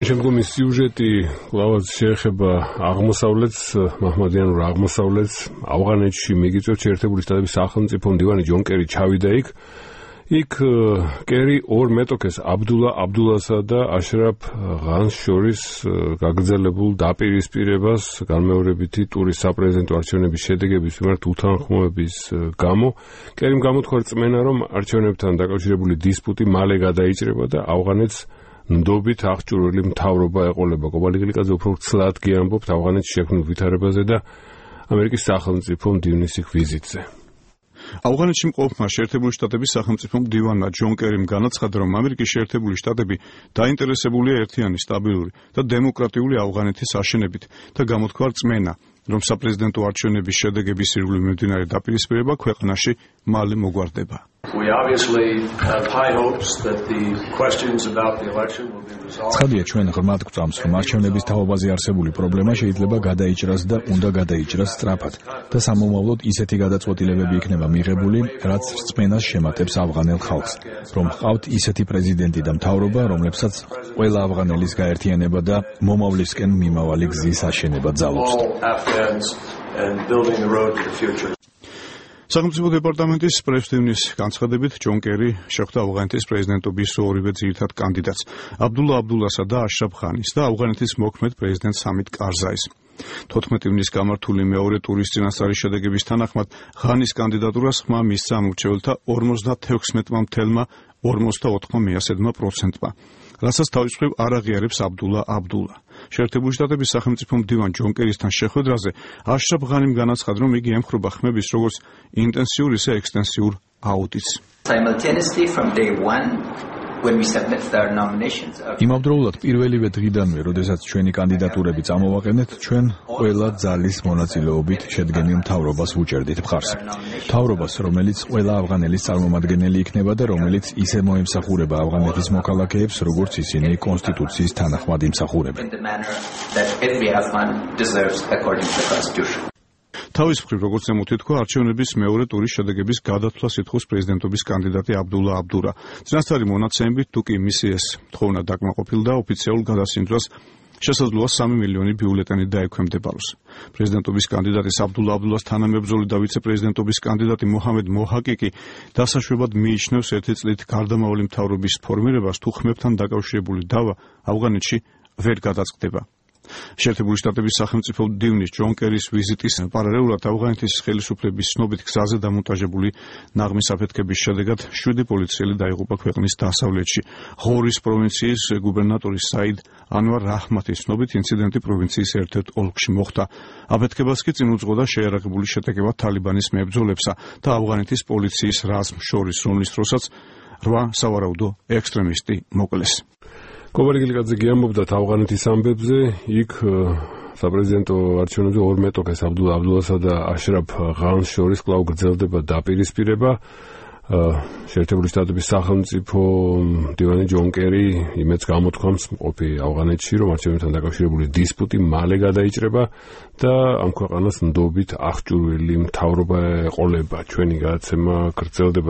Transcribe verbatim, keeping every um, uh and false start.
შემდგომი სიუჟეტი კვლავაც შეეხება აღმოსავლეთს, მაჰმადიანურ აღმოსავლეთს. ავღანეთში მიგიწევს შეერთებული შტატების სახელმწიფო მდივანი ჯონ კერი ჩავიდა იქ. იქ კერი ორ მეტოქეს აბდულა აბდულასა და აშრაფ ღანს შორის გაგრძელებულ დაპირისპირებას განმეორებითი ტურის საპრეზიდენტო არჩევნების შედეგების მიმართ უთანხმოების გამო კერიმ გამოთქვა რწმენა, რომ არჩევნებთან დაკავშირებული დისპუტი მალე გადაიჭრება და ავღანეთს ნდობით აღჭურვილი მთავრობა ეყოლება. კობალიგილიკაძე უფრო ცლად გიამბობთ ავღანეთში შექმნილ ვითარებაზე და ამერიკის სახელმწიფო მდივნის იქ ვიზიტზე. ავღანეთში მყოფმა შეერთებული შტატების სახელმწიფო მდივანმა ჯონ კერიმ განაცხადა, რომ ამერიკის შეერთებული შტატები დაინტერესებულია ერთიანი, სტაბილური და დემოკრატიული ავღანეთის აშენებით და გამოთქვა რწმენა, რომ საპრეზიდენტო არჩევნების შედეგების ირგვლივ მიმდინარე დაპირისპირება ქვეყანაში მალე მოგვარდება. ცხადია, ჩვენ ღრმად გვწამს, რომ არჩევნების თავობაზე არსებული პრობლემა შეიძლება გადაიჭრას და უნდა გადაიჭრას სწრაფად და სამომავლოდ ისეთი გადაწყვეტილებები იქნება მიღებული, რაც რწმენას შემატებს ავღანელ ხალხს, რომ ჰყავთ ისეთი პრეზიდენტი და მთავრობა, რომლებსაც ყველა ავღანელის გაერთიანება და მომავლისკენ მიმავალი გზის აშენება ძალობს. სახელმწიფო დეპარტამენტის პრესდივნის განცხადებით, ჯონ კერი შეხვდა ავღანეთის პრეზიდენტობის ორივე ძირითად კანდიდატს, აბდულა აბდულასა და აშრაფ ღანის და ავღანეთის მოქმედ პრეზიდენტ სამით კარზაის. თოთხმეტი ივნის გამართული მეორე ტურის წინასწარი შედეგების თანახმად, ღანის კანდიდატურას ხმა მისცა ამორჩეველთა ორმოცდათექვსმეტმა მთელმა ორმოცდაოთხმა მეასედმა პროცენტმა, რასაც თავის მხრივ არ აღიარებს აბდულა აბდულა. შეერთებული შტატების სახელმწიფო მდივან ჯონ კერისთან შეხვედრაზე აშრაფ ღანიმ განაცხადა, რომ იგი ემხრობა ხმების როგორც ინტენსიურ, ისე ექსტენსიურ აუდიტს. იმავდროულად პირველივე დღიდანვე, როდესაც ჩვენი კანდიდატურები წამოვაყენეთ, ჩვენ ყველა ძალის მონაწილეობით შედგენილ მთავრობას ვუჭერდით მხარს. მთავრობას, რომელიც ყველა ავღანელის წარმომადგენელი იქნება და რომელიც ისე მოემსახურება ავღანეთის მოქალაქეებს, როგორც ისინი კონსტიტუციის თანახმად იმსახურებენ. თავის მხრივ, როგორც ზემოთ ითქვა, არჩევნების მეორე ტურის შედეგების გადათვლას ითხოვს პრეზიდენტობის კანდიდატი აბდულა აბდურა. წინასწარი მონაცემებით, თუ კი მისი ეს თხოვნა დაკმაყოფილდა, ოფიციალურ გადასინდრას შესაძლოა სამი მილიონი ბიულეტენი დაექვემდებაროს. პრეზიდენტობის კანდიდატის აბდულა აბდულას თანამებრძოლი და ვიცე-პრეზიდენტობის კანდიდატი მოჰამედ მოჰაკი კი დასაშვებად მიიჩნევს ერთი წლით გარდამავალი მთავრობის ფორმირებას, თუ ხმებთან დაკავშირებული დავა ავღანეთში ვერ გადაწყდება. შეერთებული შტატების სახელმწიფო მდივნის ჯონ კერის ვიზიტის პარალელურად ავღანეთის ხელისუფლების ცნობით გზაზე დამონტაჟებული ნაღმის აფეთქების შედეგად შვიდი პოლიციელი დაიღუპა ქვეყნის დასავლეთში. ღორის პროვინციის გუბერნატორის საიდ ანვარ რაჰმათის ცნობით ინციდენტი პროვინციის ერთ-ერთ ოლქში მოხდა. აფეთქებას კი წინ უძღოდა შეიარაღებული შეტაკება თალიბანის მებრძოლებსა და ავღანეთის პოლიციის რაზმს შორის, რომლის დროსაც რვა სავარაუდო ექსტრემისტი მოკლეს. კობალიგილიკაძე გიამბობდა ავღანეთის ამბებზე. იქ საპრეზიდენტო არჩევნებზე ორ მეტოქეს აბდულა აბდულასა და აშრაფ ღანს შორის კვლავ გრძელდება დაპირისპირება. შეერთებული შტატების სახელმწიფო მდივანი ჯონ კერი იმედს გამოთქვამს მყოფი ავღანეთში, რომ არჩევნებთან დაკავშირებული დისპუტი მალე გადაიჭრება და ამ ქვეყანას ნდობით აღჭურვილი მთავრობა ეყოლება. ჩვენი გადაცემა გრძელდება.